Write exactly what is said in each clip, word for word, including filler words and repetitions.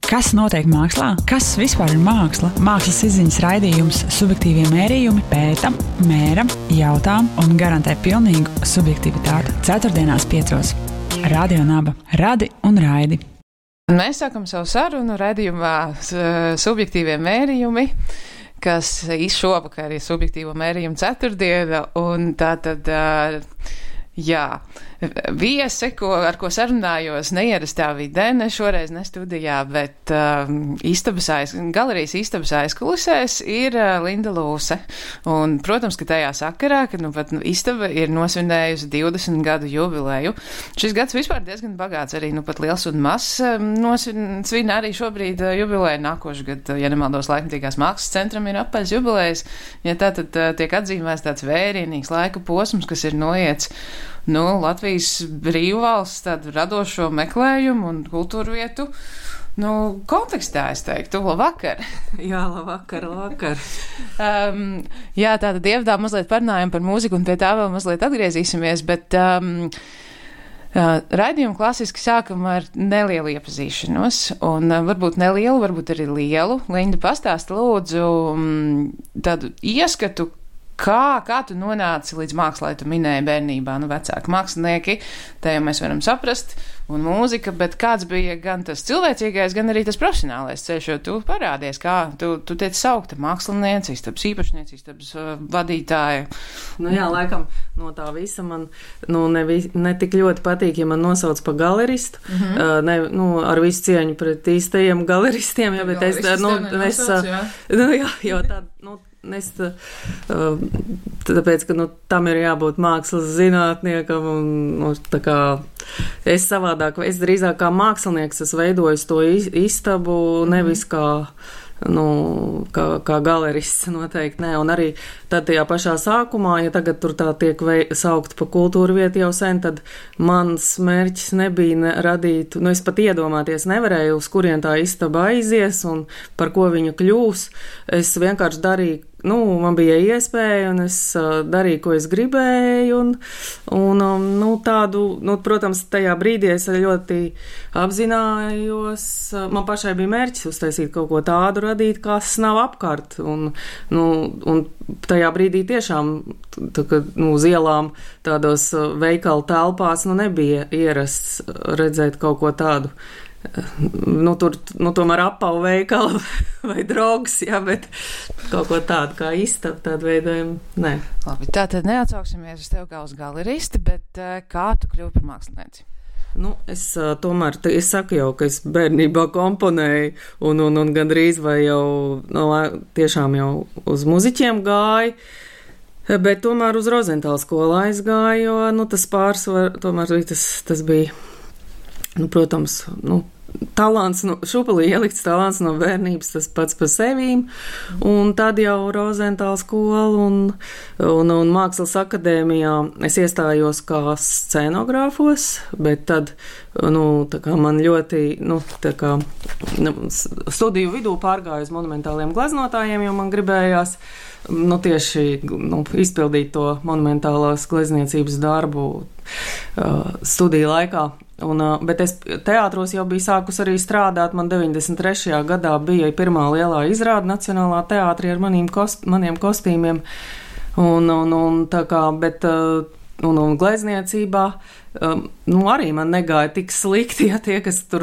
Kas notiek mākslā? Kas vispār ir māksla? Mākslas izziņas raidījums Subjektīvie mērījumi pēta, mēra, jautā un garantē pilnīgu subjektivitāti. Ceturtdienās piecos. Radio Naba. Radi un raidi. Mēs sākam savu sarunu raidījumā Subjektīvie mērījumi, kas šovakar ir Subjektīvo mērījumu ceturtdiena, un tātad, jā, viese, ko, ar ko sarunājos neierastā vidē, ne šoreiz ne studijā, bet uh, istabas aiz, galerijas istabas aizkulisēs ir uh, Linda Lūse. Un, protams, ka tajā sakarā, kad nu pat istaba ir nosvinējusi divdesmit gadu jubileju. Šis gads vispār diezgan bagāts, arī nu pat liels un mazs nosvin arī šobrīd uh, jubileju. Nākošu gadu, ja nemaldos, Laikmatīgās mākslas centram ir apaļs jubilejs. Ja tā tad uh, tiek atzīmēts tāds vērienīgs laika posms, kas ir noiets Nu, Latvijas brīvvalsts tādu radošo meklējumu un kultūru vietu, nu, kontekstā, es teiktu, labvakar. Jā, labvakar, labvakar. um, jā, tātad ievdā mazliet parunājam par mūziku un pie tā vēl mazliet atgriezīsimies, bet um, uh, raidījumu klasiski sākam ar nelielu iepazīšanos, un uh, varbūt nelielu, varbūt arī lielu. Linda, pastāsta lūdzu um, tādu ieskatu, Kā, kā tu nonāci līdz mākslai, tu minēji bērnībā, nu vecāki mākslinieki, te jau mēs varam saprast, un mūzika, bet kāds bija gan tas cilvēcīgais, gan arī tas profesionālais ceļš, jo tu parādies, kā tu, tu tiec saukta mākslinieci, istabas īpašnieci, istabas uh, vadītāja. Nu jā, laikam no tā visa man, nu ne, vi, ne tik ļoti patīk, ja man nosauc pa galeristu, mm-hmm. uh, ne, nu ar visu cieņu pret īstajiem galeristiem, jā, bet es, nu, es, nosauc, jā. nu jā, jo tā, nu, Es, tāpēc, ka nu, tam ir jābūt mākslas zinātniekam, un nu, tā kā es savādāk, es drīzāk kā mākslinieks, es veidoju to istabu, nevis kā, nu, kā, kā galerists noteikti, nē, un arī tad tajā pašā sākumā, ja tagad tur tā tiek vei, saukt pa kultūru vietu jau sen, tad mans mērķis nebija ne, radīt, nu, es pat iedomāties nevarēju, uz kurien tā istaba aizies un par ko viņa kļūs, es vienkārši darīju, nu, man bija iespēja, un es uh, darīju, ko es gribēju, un, un um, nu, tādu, nu, protams, tajā brīdī es ļoti apzinājos, uh, man pašai bija mērķis uztaisīt kaut ko tādu radīt, kas nav apkārt, un, nu, un tajā brīdī tiešām, tā, ka, nu, uz ielām tādos uh, veikalu telpās, nu, nebija ierasts redzēt kaut ko tādu. Nu, tur, nu, tomēr apavu veikala vai drogas, jā, bet kaut ko tādu kā istaba, tādu veidojumu, nē. Labi, tā tad neatsauksimies uz tevi kā uz galeristi, bet uh, kā tu kļuvi par mākslinieci? Nu, es uh, tomēr, es saku jau, ka es bērnībā komponēju un, un, un gandrīz vai jau, nu, tiešām jau uz muziķiem gāju. Bet tomēr uz Rozentāla skolu aizgāju, jo, nu, tas pārsvar, tomēr tas, tas bija, nu, protams, nu, talants, no, šupulī ielikts talants no bērnības, tas pats par sevīm, un tad jau Rozentāla skola un, un, un Mākslas akadēmijā es iestājos kā scenogrāfos, bet tad, nu, tā kā man ļoti, nu, tā kā nu, studiju vidū pārgāju uz monumentāliem glaznotājiem, jo man gribējās, nu, tieši, nu, izpildīt to monumentālās glezniecības darbu uh, studiju laikā. Un, bet es teātros jau biju sākus arī strādāt, man deviņdesmit trešajā gadā bija pirmā lielā izrāde Nacionālā teātrī ar maniem, kost, maniem kostīmiem, un, un, un tā kā, bet, un, un glezniecībā, um, nu, arī man negāja tik slikti, ja tie, kas tur,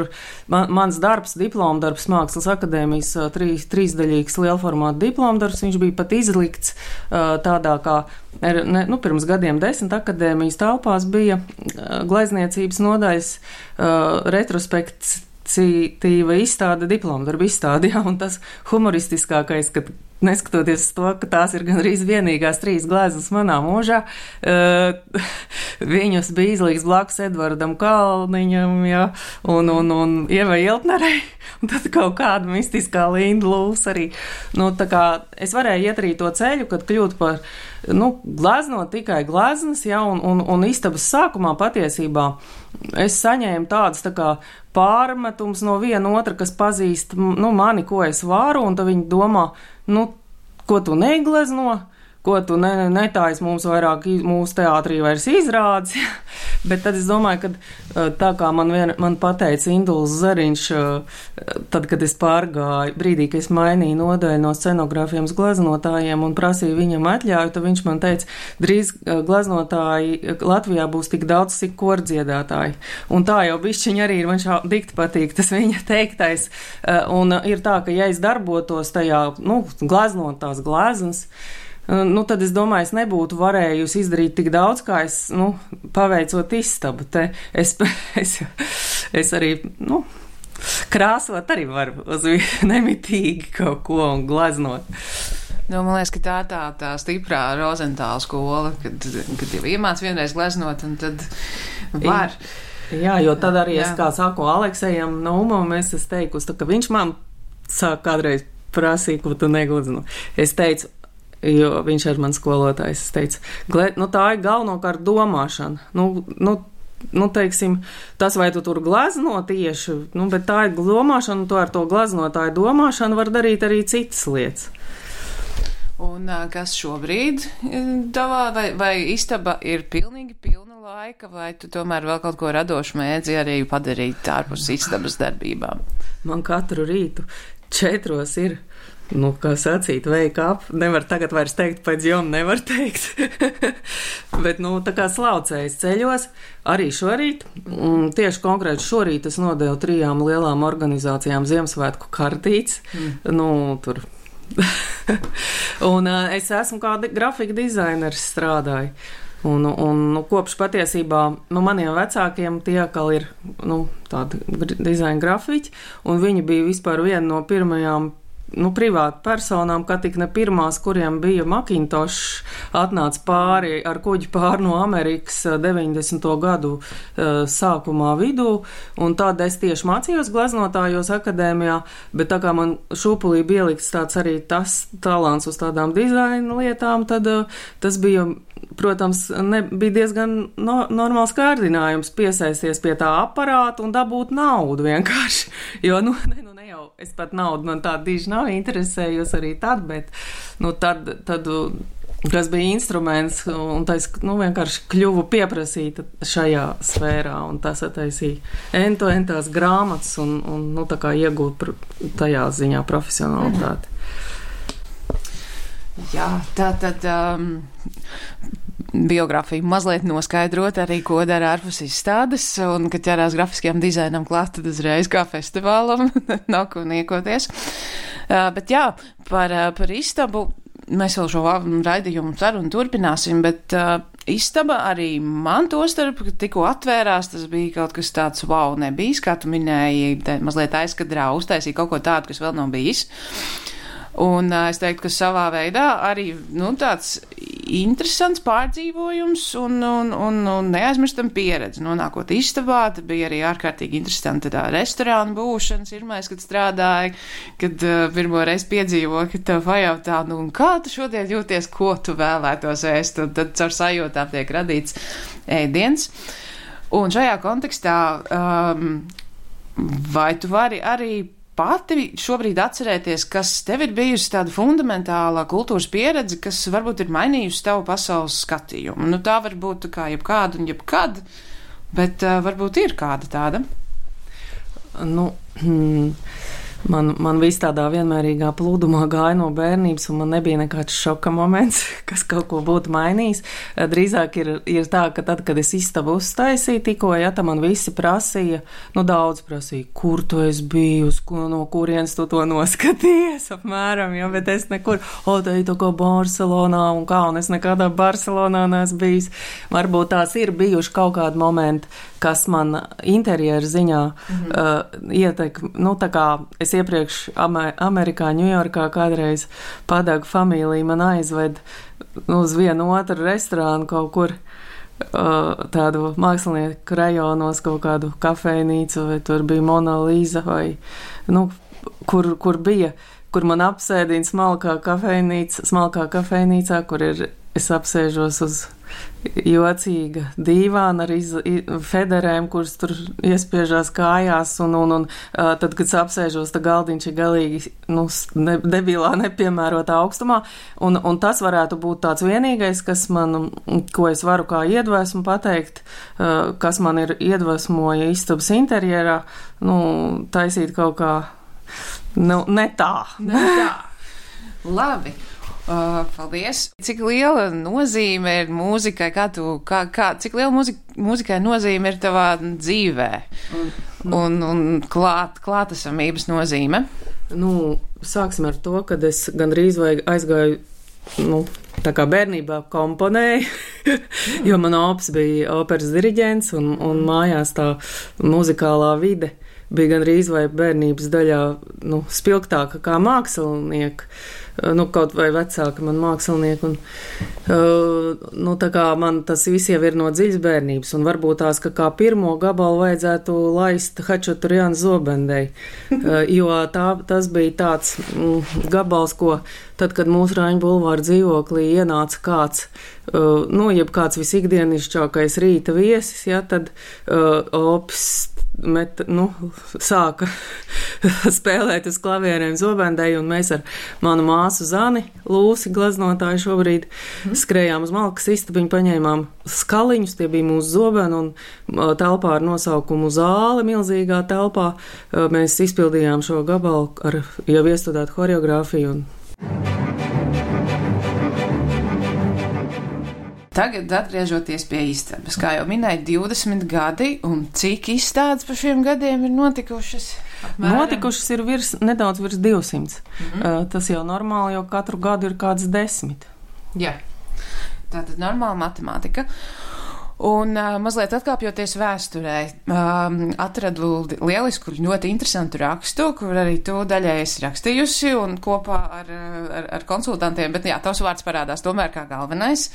man, mans darbs, diplomdarbs Mākslas akadēmijas trīs, trīsdaļīgs lielformāta diplomdarbs, viņš bija pat izlikts uh, tādā kā, ne, nu, pirms gadiem desmit akadēmijas telpās bija uh, glezniecības nodaļas uh, retrospektīva izstāde, diplomdarba izstāde, ja, un tas humoristiskākais, kad neskatoties to, ka tās ir gandrīz vienīgās trīs gleznas manā mūžā, uh, viņus bija izlīgs blakus Edvardam Kalniņam, ja, un, un, un Ievai Iltnerei, un tad kaut kāda mistiskā Linda Lūse arī. Nu, tā kā es varēju iet arī to ceļu, kad kļūt par, nu, gleznot tikai gleznas, ja, un, un, un istabas sākumā patiesībā es saņēmu tādas tā kā pārmetums no viena otra, kas pazīst, nu, mani, ko es varu, un tad viņi domā, nu, ko tu neglezno, ko tu ne, netājas mums vairāk, mūsu teātrī vairs izrādes. Bet tad es domāju, ka tā kā man, vien, man pateica Induls Zariņš, tad, kad es pārgāju, brīdī, kad es mainīju nodaļu no scenogrāfiem uz glaznotājiem un prasīju viņam atļauju, tad viņš man teica, drīz glaznotāji Latvijā būs tik daudz, cik kordziedātāji. Un tā jau bišķiņ arī ir, man šā dikti patīk tas viņa teiktais. Un ir tā, ka ja es darbotos tajā, nu, glaznot tās glaznas, nu, tad es domāju, es nebūtu varējusi izdarīt tik daudz, kā es, nu, paveicot istabu. Te es, es, es arī, nu, krāsot arī varu uz nemitīgi kaut ko un glaznot. Nu, man liekas, ka tā tā, tā stiprā Rozentāla skola, kad, kad jau iemāc vienreiz gleznot, un tad var. Jā, jo tad arī jā. Es kā saku Aleksejam Naumam, es esmu teikusi, tā, ka viņš man sāk kādreiz prasīt, ko tu neglazno. Es teicu, jo viņš ir mans skolotājs, es teicu, gled, nu tā ir galvenokārt domāšana. Nu, nu, nu, teiksim, tas vai tu tur glazno tieši, nu, bet tā ir domāšana, un to ar to glaznotāju domāšanu var darīt arī citas lietas. Un kas šobrīd tavā, vai, vai istaba ir pilnīgi pilna laika, vai tu tomēr vēl kaut ko radošu mēdzi arī padarīt ārpus istabas darbībām? Man katru rītu četros ir, nu, kā sacīt, wake up, nevar tagad vairs teikt, pēc jom nevar teikt, bet, nu, tā kā slaucējas ceļos, arī šorīt, un tieši konkrēti šorīt es nodevu trijām lielām organizācijām Ziemassvētku kartītes, mm. nu, tur. Un uh, es esmu kā di- grafika dizainers strādāju. Un, un nu, kopš patiesībā nu, maniem vecākiem tie atkal ir nu, tādi dizaina grafiķi, un viņi bija vispār viena no pirmajām nu, privāti personām, kā tik ne pirmās, kuriem bija Macintosh, atnāca pāri ar kuģi pāri no Amerikas deviņdesmito gadu uh, sākumā vidū, un tad es tieši mācījos glaznotājos akadēmijā, bet tā kā man šūpulī bija ielikts tāds arī tas talants uz tādām dizaina lietām, tad uh, tas bija, protams, ne, bija diezgan no, normāls kārdinājums piesaisties pie tā aparāta un dabūt naudu vienkārši, jo, nu, ne, nu, ne jau, es pat naudu man tāda diži nav interesējos arī tad, bet, nu, tad, tad, kas bija instruments, un tas, nu, vienkārši kļuvu pieprasīta šajā sfērā, un tas attaisīja ento entās grāmatas, un, un, nu, tā kā iegūt tajā ziņā profesionalitāti. Jā, tā tad um, biogrāfiju mazliet noskaidrot arī, ko dara ārpus izstādes, un, kad ķerās grafiskajam dizainam klāt, tad uzreiz kā festivālam nav ko niekoties. Uh, bet jā, par, par istabu mēs vēl šo raidījumu sarunu turpināsim, bet uh, istaba arī man to starp, kad tikko atvērās, tas bija kaut kas tāds wow nebijis, kā tu minēji, te, mazliet aizkadrā uztaisīja kaut ko tādu, kas vēl nav bijis. Un uh, es teiktu, ka savā veidā arī nu, tāds interesants pārdzīvojums un, un, un, un neaizmirstam pieredzi. Nonākot istabā, tad bija arī ārkārtīgi interesanti tā restorāna būšana, pirmais, kad strādāju, kad uh, pirmo reizi piedzīvoju, ka tev pajautā, nu, un kā tu šodien jūties, ko tu vēlētos ēst, un tad caur sajūtām tiek radīts ēdiens. Un šajā kontekstā, um, vai tu vari arī pati šobrīd atcerēties, kas tev ir bijusi tāda fundamentālā kultūras pieredze, kas varbūt ir mainījusi tavu pasaules skatījumu? Nu, tā var būt kā jebkāda un jebkad, bet uh, varbūt ir kāda tāda. Nu, hmm, man, man viss tādā vienmērīgā plūdumā gāja no bērnības, un man nebija nekāds šoka moments, kas kaut ko būtu mainījis. Drīzāk ir, ir tā, ka tad, kad es istabu uztaisīju tikko, ja, tad man visi prasīja, nu daudz prasīja, kur tu esi bijusi, ko, no kurienes tu to noskatījies, apmēram, ja, bet es nekur, o, tā ir tā kā Barcelonā un kā, un es nekādā Barcelonā neesmu bijis. Varbūt tās ir bijuši kaut kādi momenti, kas man interjeru ziņā mm-hmm. uh, ietek, nu tā kā es iepriekš Amerikā, Ņujorkā kādreiz Padagu familija man aizved uz vienu otru restorānu kaut kur uh, tādu mākslinieku rajonos, kaut kādu kafejnīcu, vai tur bija Mona Lisa, vai, nu, kur, kur bija, kur man apsēdina smalkā kafejnīca, smalkā kafejnīcā, kur ir, es apsēžos uz jocīga dīvāna ar iz, federēm, kuras tur iespiežās kājās, un, un, un tad, kad apsēžos, tā galdiņš ir galīgi, nu, ne, debilā, nepiemērotā augstumā, un, un tas varētu būt tāds vienīgais, kas man, ko es varu kā iedvesmu pateikt, kas man ir iedvesmoja istabas interjerā, nu, taisīt kaut kā, nu, ne tā. Ne tā. Labi. Uh, paldies. Cik liela nozīme ir mūzikai, kā tu, kā, kā, cik liela mūzika, mūzikai nozīme ir tavā dzīvē un, un, un klāt, klātesamības nozīme? Nu, sāksim ar to, kad es gandrīz vai aizgāju, nu, tā kā bērnībā komponēju, jo man ops bija operas diriģents un, un mājās tā muzikālā vide bija gandrīz vai bērnības daļā, nu, spilgtāka kā mākslinieka. Nu, kaut vai vecāka man mākslinieki, un, uh, nu, tā kā man tas viss jau ir no dziļas bērnības, un varbūt tās, ka kā pirmo gabalu vajadzētu laist Hačaturjāna Zobendei, uh, jo tā, tas bija tāds mm, gabals, ko tad, kad mūsu Raņu bulvāra dzīvoklī ienāca kāds, uh, nu, jeb kāds visikdienišķākais rīta viesis, ja, tad uh, ops met, nu, sāka spēlēt uz klavierēm Zobendei, un mēs ar manu māsu Zani, Lūsi, gleznotāju šobrīd, mm. skrējām uz malkas istabiņu, paņēmām skaliņus, tie bija mūsu zobeni, un telpā ar nosaukumu Zāle, milzīgā telpā, mēs izpildījām šo gabalu ar jau iestudētu horeogrāfiju. Un... Tagad, atgriežoties pie istabas, kā jau minēju, divdesmit gadi, un cik izstādes par šiem gadiem ir notikušas? Apmēram? Notikušas ir virs, nedaudz virs divsimts. Mm-hmm. Uh, tas jau normāli, jo katru gadu ir kāds desmit. Jā, tātad normāla matemātika. Un uh, mazliet atkāpjoties vēsturē, um, atradu lielisku, ļoti interesantu rakstu, kur arī tu daļai esi rakstījusi un kopā ar, ar, ar konsultantiem, bet jā, tavs vārds parādās tomēr kā galvenais.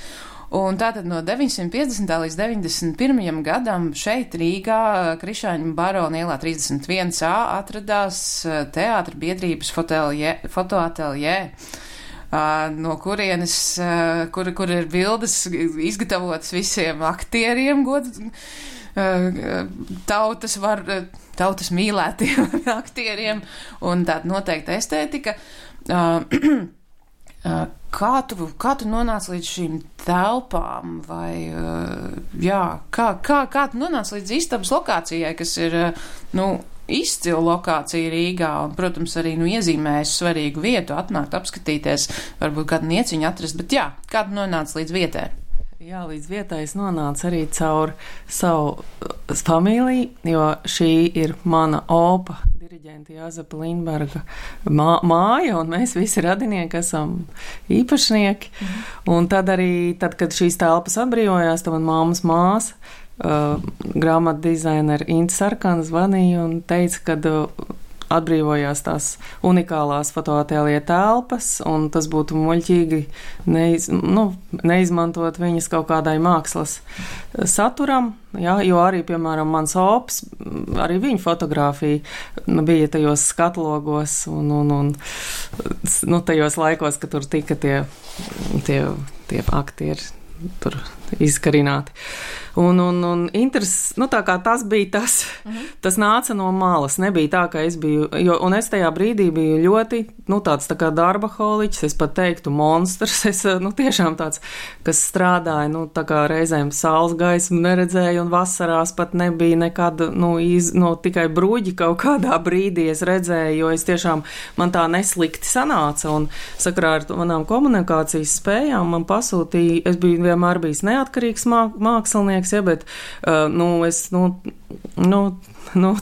Un tātad no deviņsimt piecdesmitā līdz deviņdesmit pirmajam gadam šeit Rīgā Krišāņu Barona ielā trīsdesmit viens A atradās teātra biedrības fotoateljē, no kurienes, kur, kur ir bildes izgatavotas visiem aktieriem, god, tautas var, tautas mīlētiem aktieriem, un tāda noteikta estētika. Kā tu, kā tu nonāc līdz šīm telpām, vai, jā, kā, kā, kā tu nonāc līdz istabas lokācijai, kas ir, nu, izcila lokācija Rīgā, un, protams, arī, nu, iezīmējusi svarīgu vietu, atnākt, apskatīties, varbūt kādu nieciņu atrast, bet jā, kā tu nonāc līdz vietai? Jā, līdz vietai es nonācu arī caur savu familiju, jo šī ir mana opa, diriģenta Jāzepa Lindberga mā, māja, un mēs visi radinieki esam īpašnieki. Mhm. Un tad arī, tad, kad šīs telpas atbrīvojās, tad man māmas māsa, uh, grāmatu dizainera Inta Sarkana zvanīja un teica, ka uh, atbrīvojās tās unikālās fotoateljē telpas, un tas būtu muļķīgi neiz, nu, neizmantot viņas kaut kādai mākslas saturam, jā, jo arī, piemēram, mans ops, arī viņa fotogrāfija bija tajos skatlogos un, un, un nu, tajos laikos, ka tur tika tie, tie, tie aktieri tur izkarināti. Un, un, un interes, nu tā kā tas bija tas, mm-hmm. tas nāca no malas, nebija tā, ka es biju, jo, un es tajā brīdī biju ļoti, nu tāds tā kā darbaholiķis, es pat teiktu monstrs, es, nu tiešām tāds, kas strādāja, nu tā kā reizēm saules gaismu neredzēju, un vasarās pat nebija nekad, nu, iz, nu tikai bruģi kaut kādā brīdī es redzēju, jo es tiešām, man tā neslikti sanāca, un sakarā ar manām komunikācijas spējām man pasūtīja, es biju vienmēr bijis neatkarīgs māk, mākslinieks, ja, bet, uh, nu, es, nu, nu, nu,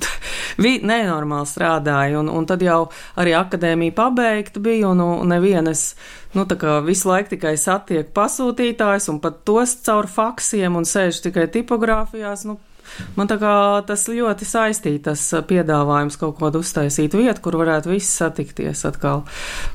vi, nenormāli strādāju, un, un tad jau arī akadēmija pabeigta bija, un, un nevienas, nu, tā kā visu laiku tikai satiek pasūtītājs, un pat tos caur faksiem, un sēž tikai tipogrāfijās, nu, man tā kā tas ļoti saistīja, tas piedāvājums kaut kādu uztaisīt vietu, kur varētu visi satikties atkal.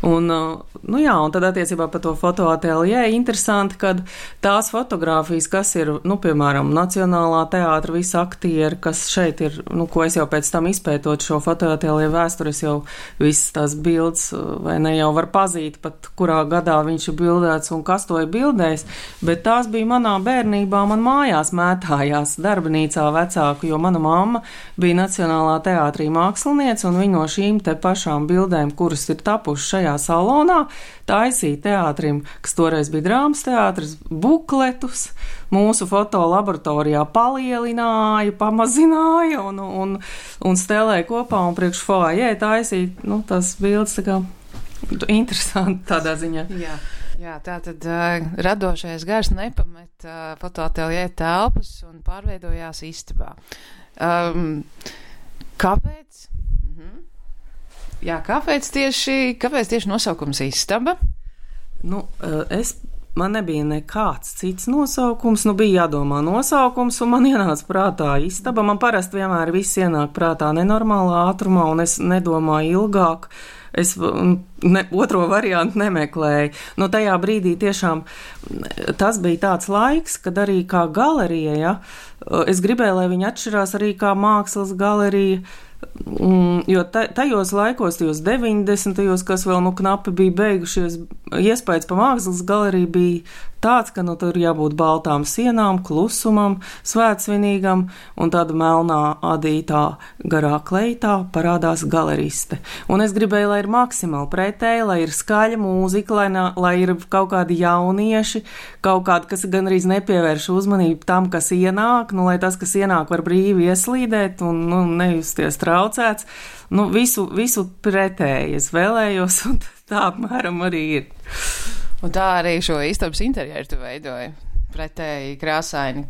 Un, nu jā, un tad attiecībā par to fotoateljē interesanti, kad tās fotogrāfijas, kas ir, nu, piemēram, Nacionālā teātra visi aktieri, kas šeit ir, nu, ko es jau pēc tam izpētot šo fotoateljē vēsturi, es jau visas tās bildes, vai ne, jau var pazīt pat, kurā gadā viņš ir bildēts un kas to ir bildējis, bet tās bija manā bērnībā, man mājās mētājās darbnīcā vecāku, jo mana mamma bija Nacionālā teātrī māksliniece, un viņa no šīm te pašām bildēm, kuras ir tapušas šajā salonā, taisīja teātrim, kas toreiz bija drāmas teātris, bukletus, mūsu fotolaboratorijā palielināja, pamazināja un, un, un stelēja kopā un priekš foajē taisīja, nu, tās bildes tā kā interesanti tādā ziņā. Jā. Jā, tā tad uh, radošais gars nepamet uh, fotoateljē telpas un pārveidojās istabā. Um, kāpēc? Mhm. Jā, kāpēc tieši, kāpēc tieši nosaukums istaba? Nu, uh, es, man nebija nekāds cits nosaukums, nu bija jādomā nosaukums, un man ienāca prātā istaba. Man parasti vienmēr viss ienāk prātā nenormālā ātrumā, un es nedomāju ilgāk. Es ne, otro variantu nemeklēju. No tajā brīdī tiešām tas bija tāds laiks, kad arī kā galerija, ja, es gribēju, lai viņi atšķirās arī kā mākslas galerija, jo tajos laikos, tajos deviņdesmitajos, kas vēl nu knapi bija beigušies, iespējas pa mākslas galeriju bija tāds, ka nu tur jābūt baltām sienām, klusumam, svētsvinīgam, un tāda melnā adītā garā kleitā parādās galeriste. Un es gribēju, lai ir maksimāli pretēji, lai ir skaļa mūzika, lai, na, lai ir kaut kādi jaunieši, kaut kādi, kas gan arī nepievērš uzmanību tam, kas ienāk, nu, lai tas, kas ienāk, var brīvi ieslīdēt un nu, nejusties traucēts. Nu, visu, visu pretēji es vēlējos, un tā apmēram arī ir. Un tā arī šo istabas interjeru tu veidoji, pretēji krāsaini.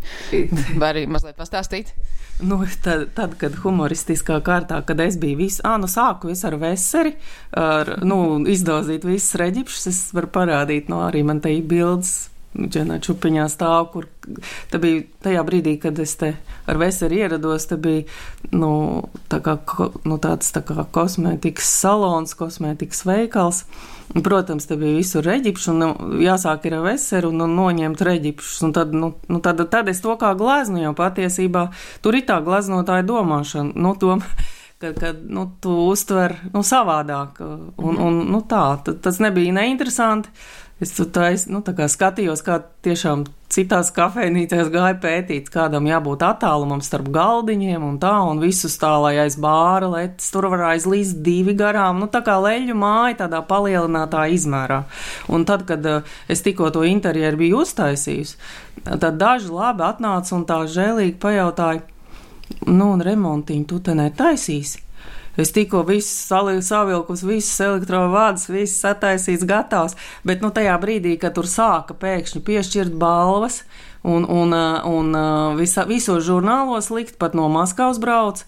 Var arī mazliet pastāstīt? Nu, tad, tad, kad humoristiskā kārtā, kad es biju visu, ā, nu sāku visu ar veseri, ar, nu, izdozīt visus reģipšus, es varu parādīt, nu, arī man te ir bildes, Dženā Čupiņā stāv, kur te bija tajā brīdī, kad es te ar veseri ierados, te bija, nu, tā kā, nu, tāds tā kā kosmētikas salons, kosmētikas veikals. Un, protams, te bija visur reģipši, un nu, jāsāk ir ar veseru un, un noņemt reģipšus. Un tad, nu, nu, tad, tad es to kā gleznu, jo patiesībā tur ir tā gleznotāja domāšana, nu, doma, kad, kad nu, tu uztver, nu, savādāk. Un, un, nu, tā, tas nebija neinteresanti. Es tā, es, nu, tā kā skatījos, kā tiešām citās kafejnīcēs gāja pētīt, kādam jābūt attālumam starp galdiņiem un tā, un visus tā, lai aiz bāra letes, tur var aizlīst divi garām, nu tā kā leļu māja tādā palielinātā izmērā. Un tad, kad uh, es tikko to interjeru biju uztaisījusi, tad daži labi atnāca un tā žēlīgi pajautāja, nu un remontiņu tu te netaisīsi? Es tikko viss savilkus, visas elektrovādas, viss sataisīts, gatavs, bet nu tajā brīdī, kad tur sāka pēkšņi piešķirt balvas un, un, un visa, visos žurnālos likt, pat no Maskavas brauc,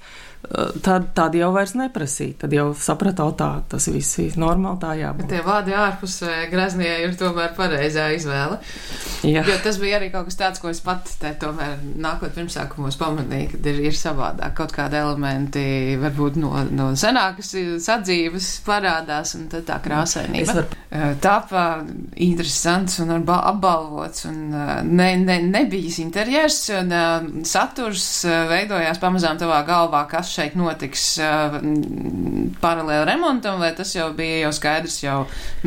tad, tad jau vairs neprasīja. Tad jau sapratau tā, tas viss ir normāli, tā jābūt. Bet tie vārdi ārpus Greznie ir tomēr pareizā izvēle. Jā. Jo tas bija arī kaut kas tāds, ko es pat te tomēr nākot pirmsākumos pamanīju, kad ir, ir savādāk. Kaut kādi elementi varbūt no, no senākas sadzīves parādās, un tad tā krāsainība. Var... Tāpā interesants un apbalvots, un ne, ne, nebijis interjers, un saturs veidojās pamazām tavā galvā, kas šeit notiks uh, paralēli remontam, vai tas jau bija jau skaidrs jau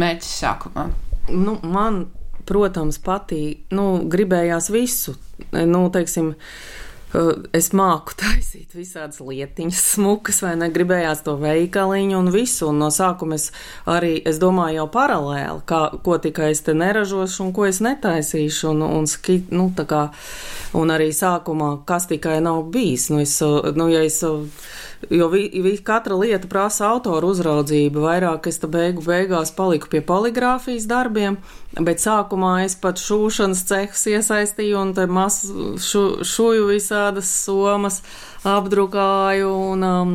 mērķis sākumā? Nu, man, protams, patīk, nu, gribējās visu, nu, teiksim, es māku taisīt visādas lietiņas smukas, vai ne, gribējās to veikaliņu un visu, un no sākuma es arī, es domāju jau paralēli, kā, ko tikai es te neražošu un ko es netaisīšu, un, un skit, nu, tā kā, un arī sākumā, kas tikai nav bijis, nu, es, nu, ja es, jo vi, vi, katra lieta prasa autoru uzraudzību, vairāk es te beigu beigās paliku pie poligrāfijas darbiem, bet sākumā es pat šūšanas cehus iesaistīju un te mas šu, šuju visādas somas apdrukāju un, um,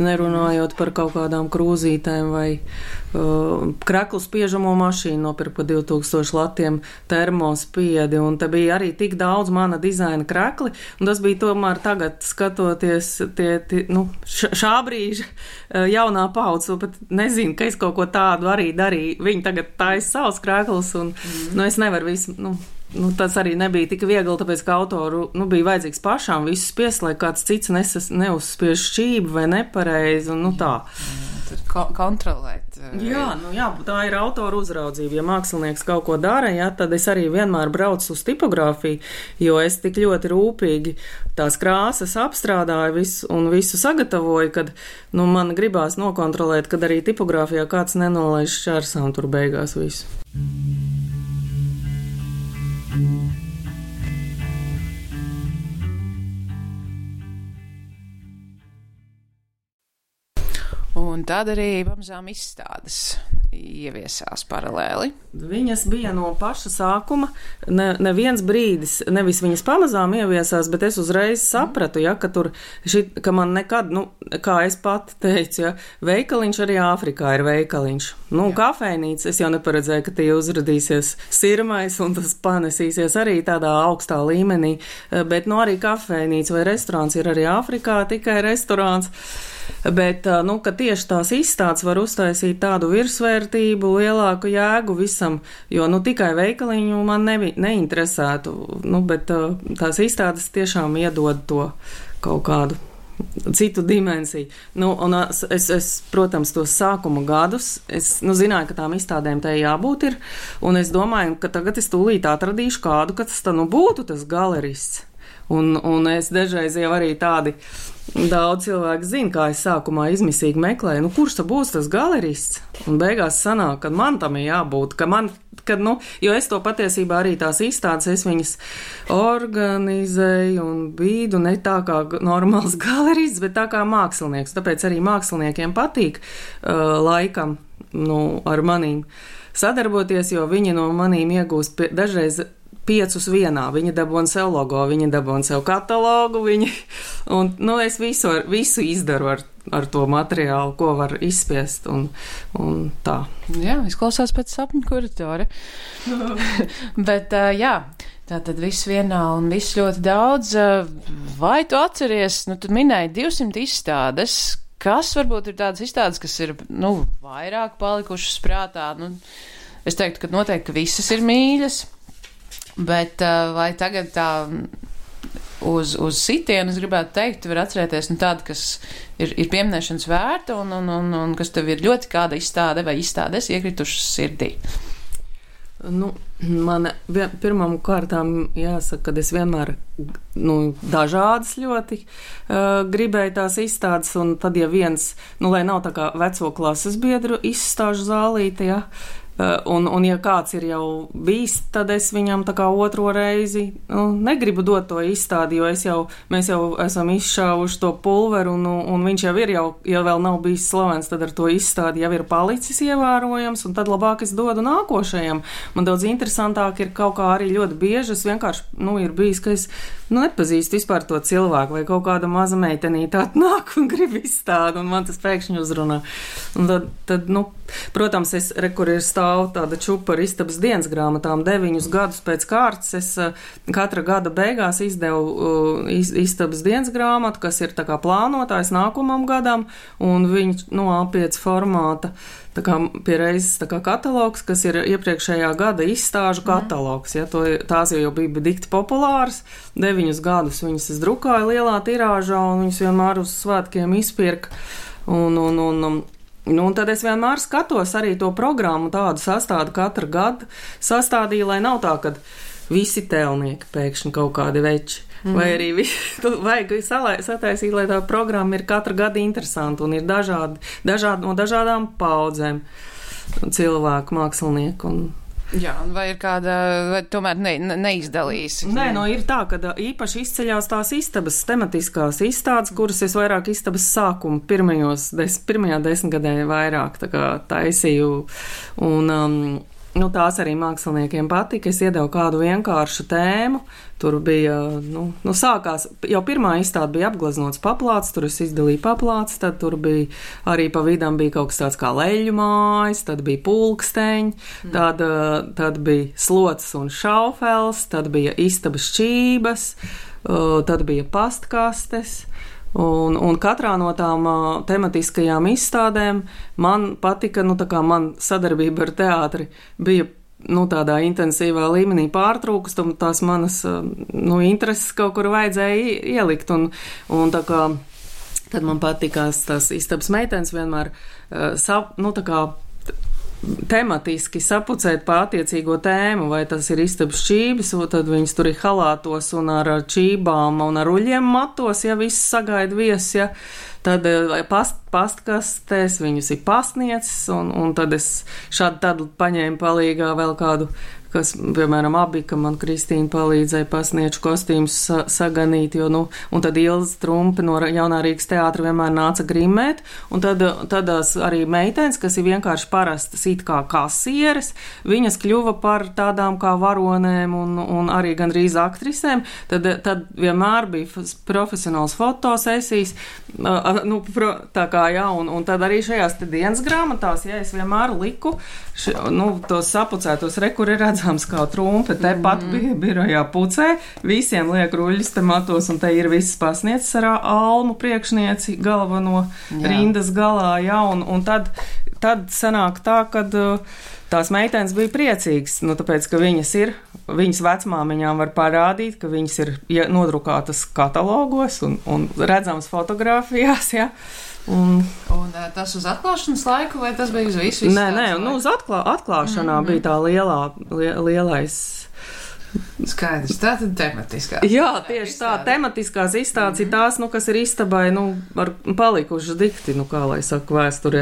nerunājot par kaut kādām krūzītēm vai uh, kreklu spiežamo mašīnu nopirku par divi tūkstoši latiem termospiedi, un te bija arī tik daudz mana dizaina krekli, un tas bija tomēr tagad skatoties tie, tie nu, šā brīža uh, jaunā paudze, pat nezinu, ka es kaut ko tādu arī darīju. Viņi tagad taisa savus kreklus, un mm. nu, es nevaru visu, nu, Nu, tas arī nebija tik viegli, tāpēc, ka autoru nu, bija vajadzīgs pašām visus spiest, lai kāds cits nesas, neuzspiež šķību vai nepareizi, un nu tā. Tad ko kontrolēt. Jā, nu jā, tā ir autoru uzraudzība. Ja mākslinieks kaut ko dara, jā, tad es arī vienmēr braucu uz tipogrāfiju, jo es tik ļoti rūpīgi tās krāsas apstrādāju visu, un visu sagatavoju, kad nu, man gribās nokontrolēt, kad arī tipogrāfijā kāds nenolaiž šķērsām tur beigās visu. Un tad arī pamazām izstādes ieviesās paralēli. Viņas bija no paša sākuma, ne, neviens brīdis, nevis viņas pamazām ieviesās, bet es uzreiz sapratu, ja, ka tur, šit, ka man nekad, nu, kā es pati teicu, ja, veikaliņš arī Āfrikā ir veikaliņš. Nu, jā. Kafejnīca, es jau neparedzēju, ka tie uzradīsies sirmais un tas panesīsies arī tādā augstā līmenī, bet, nu, arī kafejnīca vai restorāns ir arī Āfrikā, tikai restorāns. Bet, nu, ka tieši tās izstādes var uztaisīt tādu virsvērtību, lielāku jēgu visam, jo, nu, tikai veikaliņu man nevi, neinteresētu, nu, bet tās izstādes tiešām iedod to kaut kādu citu dimensiju. Nu, un es, es, protams, tos sākuma gadus, es, nu, zināju, ka tām izstādēm tai jābūt ir, un es domāju, ka tagad es tūlīt atradīšu kādu, ka tas tā, nu, būtu tas galerists. Un, un es dažreiz jau arī tādi daudz cilvēku zinu, kā es sākumā izmisīgi meklēju, nu, kurš tad būs tas galerists? Un beigās sanāk, ka man tam ir jābūt, ka man, kad, nu, jo es to patiesībā arī tās izstādes, es viņas organizēju un bīdu ne tā kā normāls galerists, bet tā kā mākslinieks. Tāpēc arī māksliniekiem patīk uh, laikam, nu, ar manīm sadarboties, jo viņi no manīm iegūst pie, dažreiz piecus vienā. Viņi dabūna sev logo, viņi dabūna sev katalogu, viņi, un, nu, es visu, ar, visu izdaru ar, ar to materiālu, ko var izspiest, un, un tā. Jā, izklausās pēc sapņu kuratora. Bet, uh, jā, tā tad viss vienā un viss ļoti daudz. Vai tu atceries, nu, tu minēji divsimt izstādes, kas varbūt ir tādas izstādes, kas ir, nu, vairāk palikušas prātā? Nu, es teiktu, ka noteikti, ka visas ir mīļas. Bet vai tagad tā uz, uz sitienu, es gribētu teikt, var atcerēties nu, tādu, kas ir, ir pieminēšanas vērta un, un, un, un kas tev ir ļoti kāda izstāde vai izstādes iekritušas sirdī? Nu, man vien, pirmām kārtām jāsaka, ka es vienmēr nu, dažādas ļoti uh, gribēju tās izstādes, un tad, ja viens, nu, lai nav tā kā veco klases biedru izstāžu zālīte, ja, Un, un ja kāds ir jau bijis, tad es viņam tā kā otro reizi nu, negribu dot to izstādi, jo es jau, mēs jau esam izšāvuši to pulveru, un, un viņš jau ir, jau, ja vēl nav bijis slavens, tad ar to izstādi jau ir palicis ievērojams, un tad labāk es dodu nākošajam. Man daudz interesantāk ir kaut kā arī ļoti bieži, es vienkārši, nu, ir bijis, ka es nu, nepazīstu vispār to cilvēku, vai kaut kāda maza meitenīte atnāk un grib izstādi, un man tas pēkšņi uzrunā. Un tad, tad nu, protams, es, re, kur ir stāv tāda čupa ar istabas dienas grāmatām. Deviņus gadus pēc kārtas es katra gada beigās izdevu iz, istabas dienas grāmatu, kas ir tā kā plānotājs nākamam gadam, un viņš no A pieci formāta tā kā pie reizes tā kā katalogs, kas ir iepriekšējā gada izstāžu katalogs. Ja, to, tās jau bija dikti populāras. Deviņus gadus viņas es drukāju lielā tirāžā, un viņas vienmēr uz svētkiem izpirka. Un, un, un, un, Nu, un tad es vienmēr skatos arī to programmu tādu sastādu katru gadu sastādīju, lai nav tā, ka visi tēlnieki pēkšņi kaut kādi veči. Mm. Vai arī vajag sataisīt, lai tā programma ir katru gadu interesanta un ir dažādi, dažādi no dažādām paudzēm cilvēku, mākslinieku un Jā, vai ir kāda, vai tomēr ne, ne, neizdalīs? Nē, no ir tā, ka īpaši izceļās tās istabas, tematiskās izstādes, kuras es vairāk istabas sākumu pirmajos, des, pirmajā desmitgadē vairāk tā kā taisīju. Un, um, nu, tās arī māksliniekiem patika. Es iedevu kādu vienkāršu tēmu. Tur bija, nu, nu sākās, jau pirmā izstāde bija apgleznots paplāts, tur es izdalīju paplāts, tad tur bija arī pa vidam bija kaut kas tāds kā leļu mājas, tad bija pulksteņi, mm. tad, tad bija slots un šaufels, tad bija istabas šķības, tad bija pastkastes. Un, un katrā no tām uh, tematiskajām izstādēm man patika, nu tā kā man sadarbība ar teātri bija, nu tādā intensīvā līmenī pārtrūkus, un tās manas, uh, nu, intereses kaut kur vajadzēja ielikt, un, un tā kā, tad man patikās tās istabas meitenes vienmēr, uh, sap, nu tā kā, tematiski sapucēt pa attiecīgo tēmu, vai tas ir istabas čības, tad viņas tur ir halātos un ar čībām un ar uļiem matos, ja viss sagaida viesis, ja, tad past, pastkastēs viņus ir pastniecis, un, un tad es šādi tad paņēmu palīgā vēl kādu, kas, piemēram, abi, ka man Kristīna palīdzēja pasnieču kostīmus sa saganīt, jo, nu, un tad Ilza Trumpe no Jaunā Rīgas teātra vienmēr nāca grimēt, un tad tādās arī meitenes, kas ir vienkārši parastas it kā kasieres, viņas kļuva par tādām kā varonēm un, un arī gandrīz aktrisēm, tad, tad vienmēr bija profesionāls fotosesijas, uh, nu, pro, tā kā, jā, un, un tad arī šajās te dienas grāmatās, ja es vienmēr liku, š, nu, tos sapucētos rekuri redzams kā Trumpe, te mm-hmm. pat bija birojā pucē, visiem liek ruļļus te matos, un te ir visas pasnieces ar almu priekšnieci galveno jā. Rindas galā, jā, un, un tad, tad sanāk tā, kad tās meitenes bija priecīgas, nu, tāpēc, ka viņas ir, viņas vecmāmiņām var parādīt, ka viņas ir nodrukātas katalogos un, un redzams fotogrāfijās, jā. Un, un tas uz atklāšanas laiku, vai tas bija uz visu? Nē, nē, nu, uz atklā, atklāšanā mm-hmm. bija tā lielā, lie, lielais. Skaidrs, tā tad tematiskā. Jā, tieši tā, tematiskās izstādes mm-hmm. ir tās, nu, kas ir istabai, nu, ar palikušas dikti, nu, kā lai saka, vēsturē.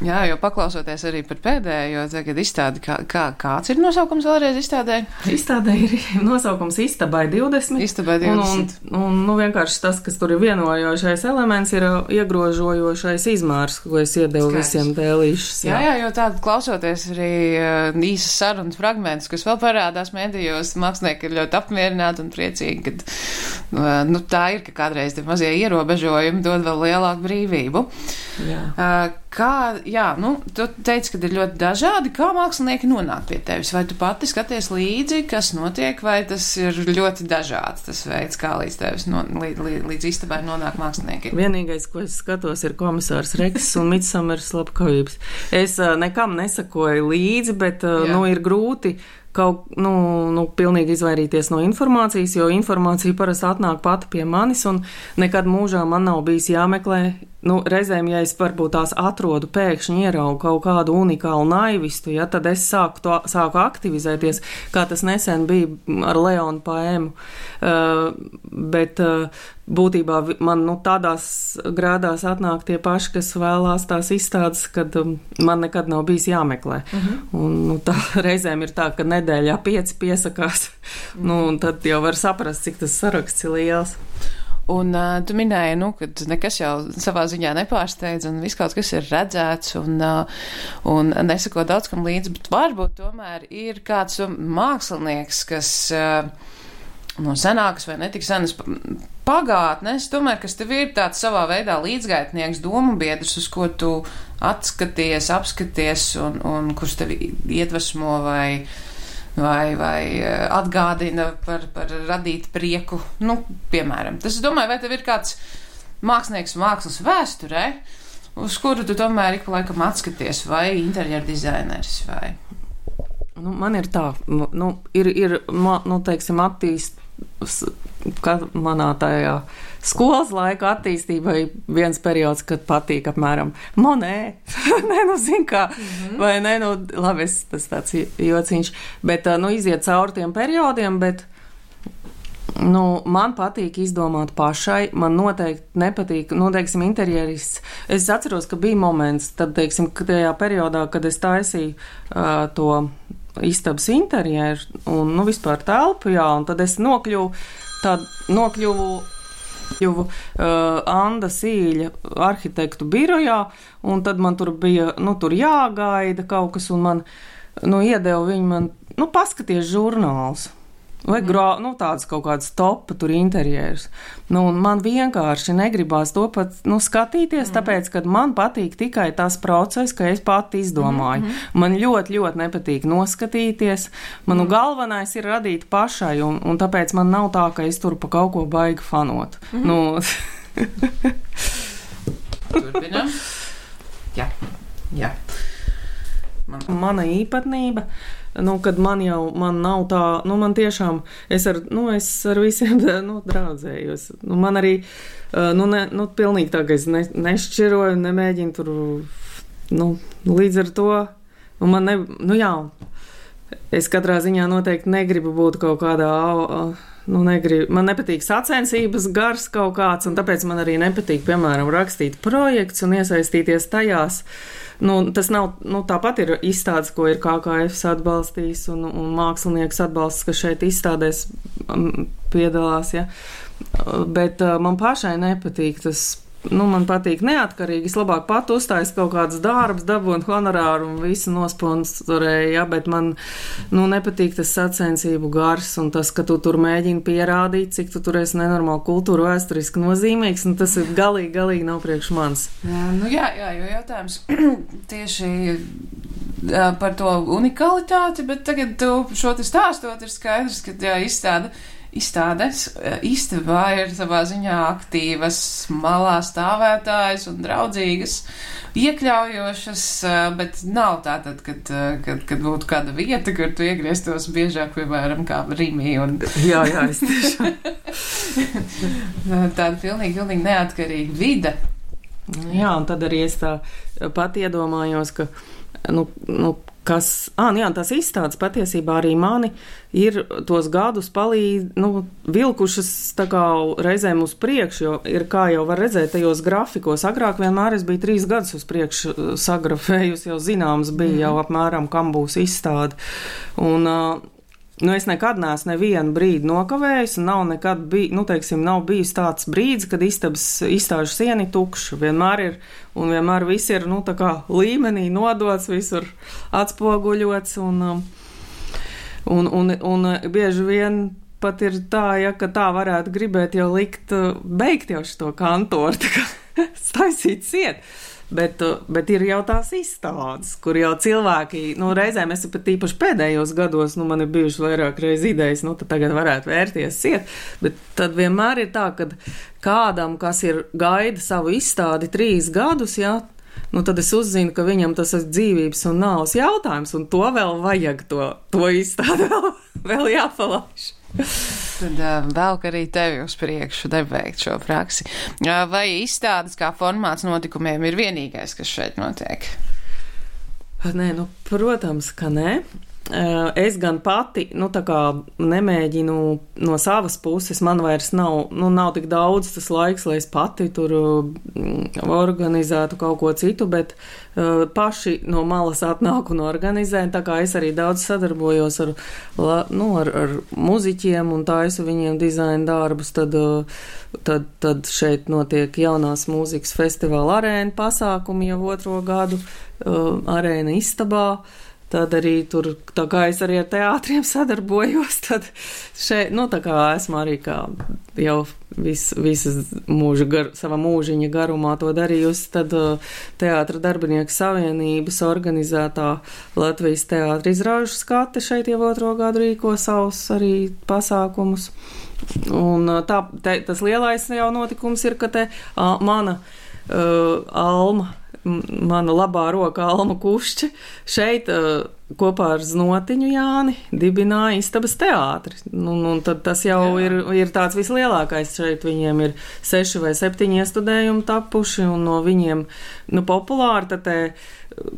Jā, jo paklausoties arī par pēdējo, tagad izstādi, kā, kā, kāds ir nosaukums vēlreiz izstādē? Izstādē ir nosaukums Istabai divdesmit. Istabai divdesmit. Un, un, un, nu, vienkārši tas, kas tur ir vienojošais elements, ir iegrožojošais izmērs, ko es iedevu Skaidrs. Visiem dēlīšus. Jā, jā, jo tādu klausoties arī uh, īsas sarunas fragmentus, kas vēl parādās mēdījos, mākslinieki ir ļoti apmierināti un priecīgi, kad nu, tā ir, ka kādreiz tie mazie ierobežojumi dod vēl lielāku brīvību. Jā. Kā, jā, nu, tu teici, ka ir ļoti dažādi, kā mākslinieki nonāk pie tevis? Vai tu pati skaties līdzi, kas notiek, vai tas ir ļoti dažāds tas veids, kā līdz tevis, no, līdz, līdz, līdz istabai nonāk mākslinieki? Vienīgais, ko es skatos, ir komisārs Rekss un Midsomeras slepkavības. Es uh, nekam nesakoju līdzi, bet, uh, nu, ir grūti kaut, nu, nu, pilnīgi izvairīties no informācijas, jo informācija parasti atnāk pati pie manis, un nekad mūžā man nav bijis jāmeklē, nu, reizēm, ja es varbūt tās atrodu, pēkšņi ieraugu kaut kādu unikālu naivistu, ja, tad es sāku, to, sāku aktivizēties, kā tas nesen bija ar Leonu Paēmu, uh, bet uh, būtībā man, nu, tādās grādās atnāk tie paši, kas vēlās tās izstādes, kad um, man nekad nav bijis jāmeklē. Uh-huh. Un, nu, tā reizēm ir tā, ka nedēļā pieci piesakās, uh-huh. nu, un tad jau var saprast, cik tas saraksts ir liels. Un uh, tu minēji, nu, ka nekas jau savā ziņā nepārsteidz, un viss kaut kas ir redzēts, un, uh, un nesako daudz kam līdzi, bet varbūt tomēr ir kāds mākslinieks, kas uh, no senākas vai netik senas pagātnes, tomēr, kas tev ir tāds savā veidā līdzgaitnieks, domu biedrs, uz ko tu atskaties, apskaties, un, un kurš tevi iedvesmo vai vai, vai atgādina par, par radīt prieku, nu, piemēram. Tas, es domāju, vai tev ir kāds mākslinieks mākslas vēsturē, uz kuru tu tomēr ik pa laikam atskaties, vai interjeru dizainers, vai? Nu, man ir tā, nu, ir, ir nu, teiksim, attīst, kā manā tajā skolas laika attīstībai viens periods, kad patīk apmēram Monē, nē, nu, zin kā, mm-hmm. vai nē, nu, labi, es, tas tāds jociņš, bet, nu, iziet cauri tiem periodiem, bet, nu, man patīk izdomāt pašai, man noteikti nepatīk, nu, teiksim, interjerists. Es atceros, ka bija moments, tad, teiksim, tajā periodā, kad es taisīju uh, to istabas interjeru un, nu, vispār telpu, jā, un tad es nokļuvu, tad nokļuvu Kļuvu uh, Anda Sīļa arhitektu birojā, un tad man tur bija, nu, tur jāgaida kaut kas, un man nu, iedeva viņi man, nu, paskaties žurnāls. Vai grā, nu, tāds kaut kāds topa tur interjers. Nu, un man vienkārši negribās to pat, nu, skatīties, mm. tāpēc, ka man patīk tikai tas process, ka es pati izdomāju. Mm-hmm. Man ļoti, ļoti nepatīk noskatīties. Manu mm. galvenais ir radīt pašai, un, un tāpēc man nav tā, ka es tur pa kaut ko baigi fanot. Mm-hmm. Nu... Turpinām. Jā, jā. Man... Mana īpatnība... Nu, kad man jau, man nav tā, nu, man tiešām, es ar, nu, es ar visiem, nu, draudzējos. Nu, man arī, nu, ne, nu, pilnīgi tā, ka es ne, nešķiroju, nemēģinu tur, nu, līdz ar to, un man ne, nu, jā, es katrā ziņā noteikti negribu būt kaut kādā, nu, negribu, man nepatīk sacensības gars kaut kāds, un tāpēc man arī nepatīk, piemēram, rakstīt projekts un iesaistīties tajās. Nu, tas nav, nu, tāpat ir izstādes, ko ir K K F atbalstījis un, un mākslinieks atbalsts, kas šeit izstādēs piedalās, ja. Bet uh, man pašai nepatīk tas, nu, man patīk neatkarīgi, es labāk pat uztājas kaut kāds darbs, dabūnu honorāru un visu nosponsorēju, ja, bet man, nu, nepatīk tas sacensību gars un tas, ka tu tur mēģini pierādīt, cik tu tur esi nenormāli kultūra vēsturiski nozīmīgs, un tas ir galīgi, galīgi nav priekš mans. Jā, nu jā, jā, jo jautājums tieši par to unikalitāti, bet tagad tu šo te stāstot ir skaidrs, ka jā, izstāda Izstādes istabā ir savā ziņā aktīvas, malā stāvētājas un draudzīgas, iekļaujošas, bet nav tā tad, kad, kad, kad būtu kāda vieta, kur tu iegrieztos biežāk, piemēram, kā Rimī. Un... Jā, jā, es tiešām. Tāda pilnīgi, pilnīgi neatkarīga vide. Jā, un tad arī es tā pat iedomājos, ka, nu, nu kas, ā, jā, tās izstādes patiesībā arī mani ir tos gadus palīdz, nu, vilkušas tā kā reizēm uz priekšu, jo ir, kā jau var redzēt, tajos grafikos. Agrāk vienmēr es biju trīs gadus uz priekšu sagrafējusi, jau zināms bija mm. jau apmēram, kam būs izstāde. Un, nu, es nekad neesmu nevienu brīdi nokavējis, un nav nekad bij, nu, teiksim, nav bijis tāds brīdis, kad istabas izstāžu sieni tukša. Vienmēr ir, un vienmēr viss ir, nu, tā kā līmenī nodots, visur atspoguļots, un, un, un, un bieži vien pat ir tā, ja, ka tā varētu gribēt jau likt, beigt jau šito kantoru, tā kā staisīt ciet. Bet, bet ir jau tās izstādes, kur jau cilvēki, nu, reizēm es pat īpaši pēdējos gados, nu, man ir bijuši vairāk reiz idejas, nu, tad tagad varētu vērties ciet, bet tad vienmēr ir tā, ka kādam, kas ir gaida savu izstādi trīs gadus, jā, nu, tad es uzzinu, ka viņam tas ir dzīvības un nāves jautājums, un to vēl vajag, to, to izstādi vēl, vēl jāpalaiž. Tad uh, vēl, ka arī tevi uz priekšu neveikt šo praksi. Uh, vai izstādes kā formāts notikumiem ir vienīgais, kas šeit notiek? Nē, nu, protams, ka nē. Es gan pati, nu, tā kā nemēģinu no savas puses, man vairs nav, nu, nav tik daudz tas laiks, lai es pati tur organizētu kaut ko citu, bet uh, paši no malas atnāk un organizē, tā kā es arī daudz sadarbojos ar, nu, ar, ar muziķiem un taisu viņiem dizaina darbus, tad, tad, tad šeit notiek jaunās mūzikas festivāla arēna pasākumi jau otro gadu, uh, arēna istabā. Tad arī tur, tā kā es arī ar teātriem sadarbojos, tad šeit, nu, tā kā esmu arī kā jau vis, visas mūža gar, sava mūžiņa garumā to darījusi, tad uh, Teātra darbinieku savienības organizētā Latvijas teātra izrāžu skate šeit jau otro gadu rīko savus arī pasākumus. Un uh, tā, te, tas lielais jau notikums ir, ka te uh, mana uh, Alma, mana labā roka Alma Kušķe šeit uh, kopā ar Znotiņu Jāni dibināja Istabas teātri. Nu, un tad tas jau ir, ir tāds vislielākais. Šeit viņiem ir seši vai septiņi iestudējumi tapuši, un no viņiem, nu, populāri tad te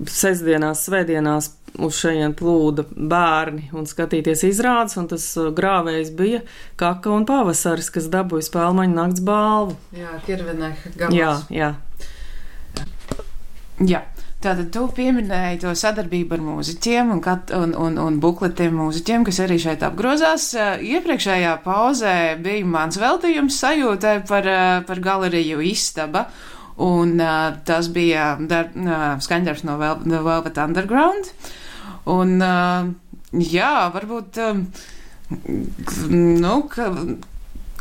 sestdienās, svētdienās uz šajien plūda bērni un skatīties izrādes, un tas grāvējs bija Kaka un Pavasaris, kas dabūja Spēlmaņu nakts balvu. Jā, Kirveneha gabals. Jā, jā. Jā, tātad tu pieminēji to sadarbību ar mūziķiem un, kat, un, un, un bukletiem mūziķiem, kas arī šeit apgrozās. Iepriekšējā pauzē bija mans veltījums sajūtai par, par galeriju Istaba, un tas bija dar, skaņdarbs no Velvet Underground. Un, jā, varbūt, nu, ka,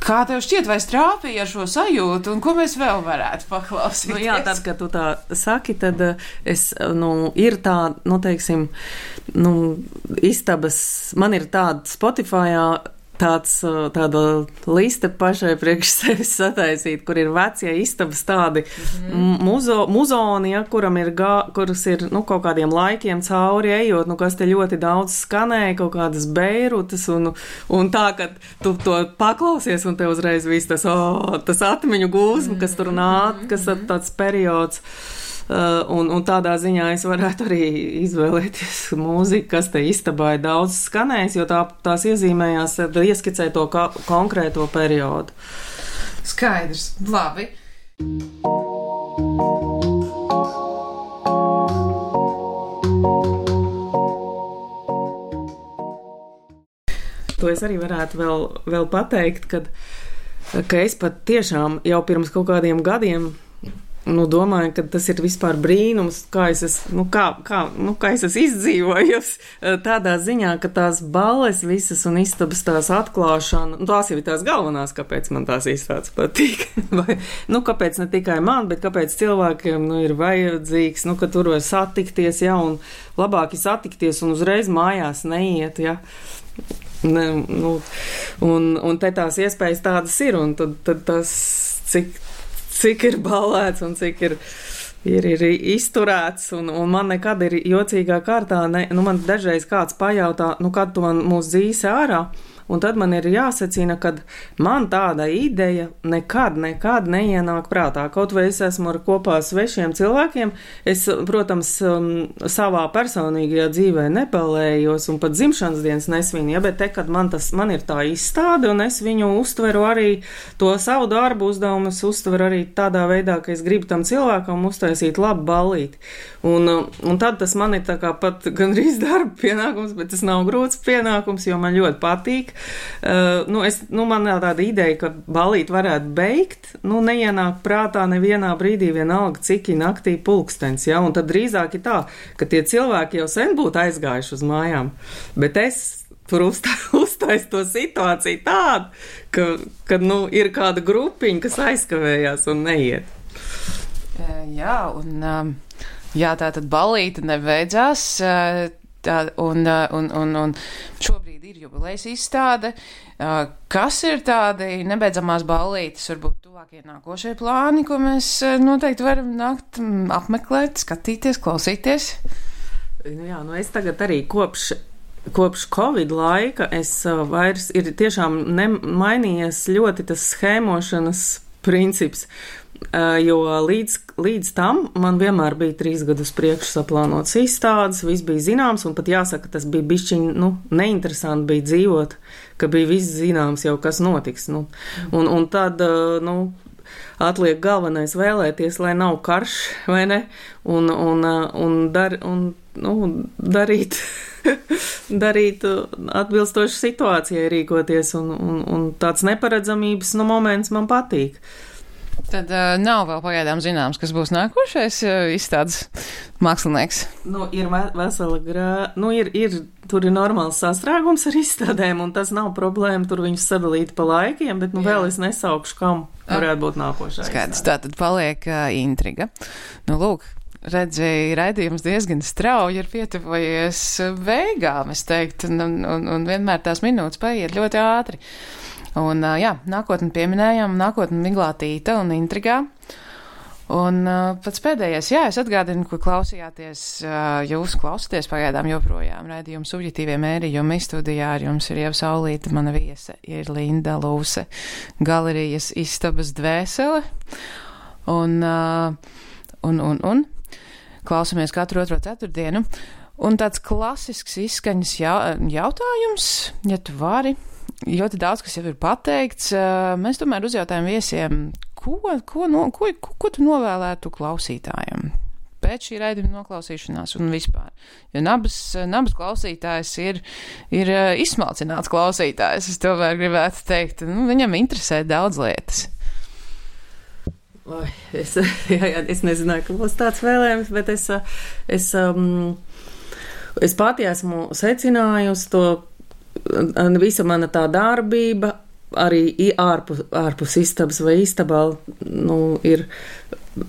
kā tev šķiet, vai strāpīja ar šo sajūtu, un ko mēs vēl varētu paklausīties? Nu, jā, tad, kad tu tā saki, tad es, nu, ir tā, nu, teiksim, nu, istabas, man ir tāda Spotifyā, tāds, tāda liste pašai priekš sevis sataisīt, kur ir vecie istabas tādi mm-hmm. muzo, muzoni, ja, kuram ir, gā, kuras ir, nu, kaut kādiem laikiem cauri ejot, nu, kas te ļoti daudz skanēja, kaut kādas beirutas, un, un tā, ka tu to paklausies, un te uzreiz viss tas, oh, tas atmiņu gūsmu, kas tur nāk, kas ir tāds periods. Uh, un, un tādā ziņā es varētu arī izvēlēties mūziku, kas te istabā ir daudz skanējis, jo tā, tās iezīmējās, ieskicē to ka, konkrēto periodu. Skaidrs, labi. To es arī varētu vēl, vēl pateikt, kad, ka es pat tiešām jau pirms kaut kādiem gadiem nu, domāju, ka tas ir vispār brīnums, kā es esmu, nu, kā, kā, nu, kā es esmu izdzīvojusi tādā ziņā, ka tās balles visas un istabas tās atklāšana, nu, tās jau ir tās galvenās, kāpēc man tās izstādes patīk. Vai, nu, kāpēc ne tikai man, bet kāpēc cilvēkiem, nu, ir vajadzīgs, nu, ka tur var satikties, ja, un labāk ir satikties un uzreiz mājās neiet, ja. Ne, nu, un, un te tās iespējas tādas ir, un tad, tad tas, cik cik ir ballēts un cik ir, ir, ir izturēts, un, un man nekad ir jocīgā kārtā, ne, nu man dažreiz kāds pajautā, nu kad tu man mūs dzīsi ārā, un tad man ir jāsacina, ka man tāda ideja nekad, nekad neienāk prātā. Kaut vai es esmu ar kopā svešiem cilvēkiem, es, protams, savā personīgajā dzīvē nepalējos un pat dzimšanas dienas nesvinu, ja, bet te, kad man, tas, man ir tā izstāde, un es viņu uztveru arī, to savu darbu uzdevumu, es uztveru arī tādā veidā, ka es gribu tam cilvēkam uztaisīt labu ballīti. Un, un tad tas man ir tā kā pat gandrīz darba pienākums, bet tas nav grūts pienākums, jo man ļoti patīk. Uh, nu, es, nu, man ir tāda ideja, ka ballīt varētu beigt, nu, neienāk prātā nevienā brīdī vienalga, cik ir naktī pulkstens, ja, un tad drīzāk ir tā, ka tie cilvēki jau sen būtu aizgājuši uz mājām, bet es tur uztais to situāciju tādu, ka, ka, nu, ir kāda grupiņa, kas aizkavējās un neiet. Jā, un, jā, tā tad ballīte nebeidzās, tā, un, un, un, un šobrīd ir jubilejas izstāde. Kas ir tādi nebeidzamās ballītes, varbūt tuvākie nākošie plāni, ko mēs noteikti varam nākt apmeklēt, skatīties, klausīties? Jā, nu es tagad arī kopš, kopš Covid laika es vairs ir tiešām mainījies ļoti tas schēmošanas princips. Jo līdz, līdz tam man vienmēr bija trīs gadus priekš saplānots izstādes, viss bija zināms, un pat jāsaka, tas bija bišķiņ, nu, neinteresanti bija dzīvot, ka bija viss zināms jau, kas notiks, nu. Un, un tad, nu, atliek galvenais vēlēties, lai nav karš, vai ne, un, un, un, dar, un nu, darīt, darīt atbilstoši situācijai rīkoties, un, un, un tāds neparedzamības, nu, moments man patīk. Tad uh, nav vēl pagaidām zināms, kas būs nākošais uh, izstādes mākslinieks. Nu, ir vesela grā, nu, ir, ir, tur ir normāls sastrēgums ar izstādēm, un tas nav problēma, tur viņus sadalīt pa laikiem, bet, nu, Jā. Vēl es nesaukšu, kam varētu būt nākošais. Skaidrs, tā tad paliek uh, intriga. Nu, lūk, redzēju, raidījums diezgan strauji ir pietuvojies beigām, es teiktu, un, un, un vienmēr tās minūtes paiet ļoti ātri. Un, jā, nākotni pieminējām, nākotni miglātīta un intrigā. Un pats pēdējais, jā, es atgādinu, ko klausījāties, jūs klausāties pagaidām joprojām raidījumu subjektīvie mērījumi. Studijā ar jums ir Ieva Saulīte, mana viese ir Linda Lūse, galerijas istabas dvēsele. Un, un, un, un klausamies katru otro ceturtdienu. Un tāds klasisks izskaņas jautājums, ja tu vari. Ļoti daudz, kas jau ir pateikts, mēs tomēr uzjautājam viesiem, ko, ko, no, ko, ko, ko tu novēlētu klausītājiem pēc šī raidījuma noklausīšanās un vispār. Jo nabas, nabas klausītājs ir, ir izsmalcināts klausītājs, es tomēr gribētu teikt, nu, viņam interesē daudz lietas. Oi, es, jā, jā, es nezināju, ka būs tāds vēlējums, bet es, es um, es pati esmu secinājusi to, visa mana tā darbība, arī ārpus, ārpus istabas vai istabā, nu, ir,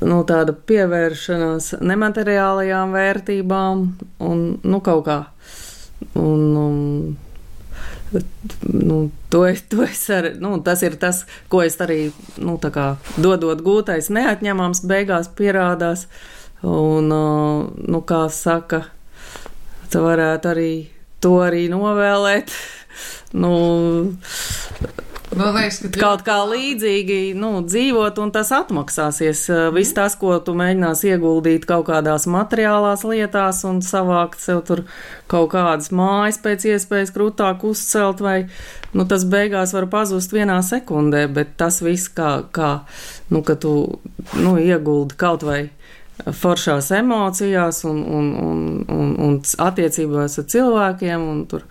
nu, tāda pievēršanās nemateriālajām vērtībām un, nu, kaut kā. Un, um, nu, to es, to es ar, nu, tas ir tas, ko es arī, nu, tā kā dodot gūtais neatņemams beigās pierādās. Un, uh, nu, kā saka, tu varētu arī to arī novēlēt. Nu, Man liekas, ka kaut kā līdzīgi nu, dzīvot, un tas atmaksāsies. Mm. Viss tas, ko tu mēģinās ieguldīt kaut kādās materiālās lietās un savākt sev tur kaut kādas mājas pēc iespējas krūtāk uzcelt, vai nu, tas beigās var pazust vienā sekundē, bet tas viss, kā, kā nu, ka tu nu, ieguldi kaut vai foršās emocijās un, un, un, un, un attiecībās ar cilvēkiem, un tur,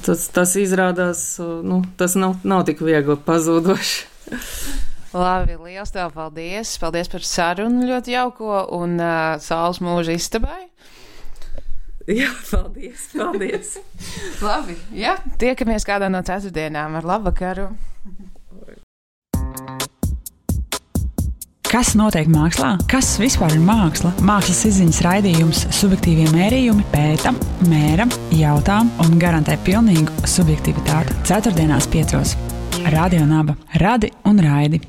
tas, tas izrādās, nu, tas nav, nav tik viegli pazūdoši. Labi, liels tev paldies. Paldies par sarunu ļoti jauko un uh, saules mūža istabai. Jā, paldies, paldies. Labi, jā, tiekamies kādā no ceturtdienām ar labvakaru. Kas notiek mākslā? Kas vispār ir māksla? Mākslas izziņas raidījums Subjektīvie mērījumi pēta, mēra, jautā un garantē pilnīgu subjektivitāti. Ceturtdienās piecos. Radio Naba. Radi un raidi.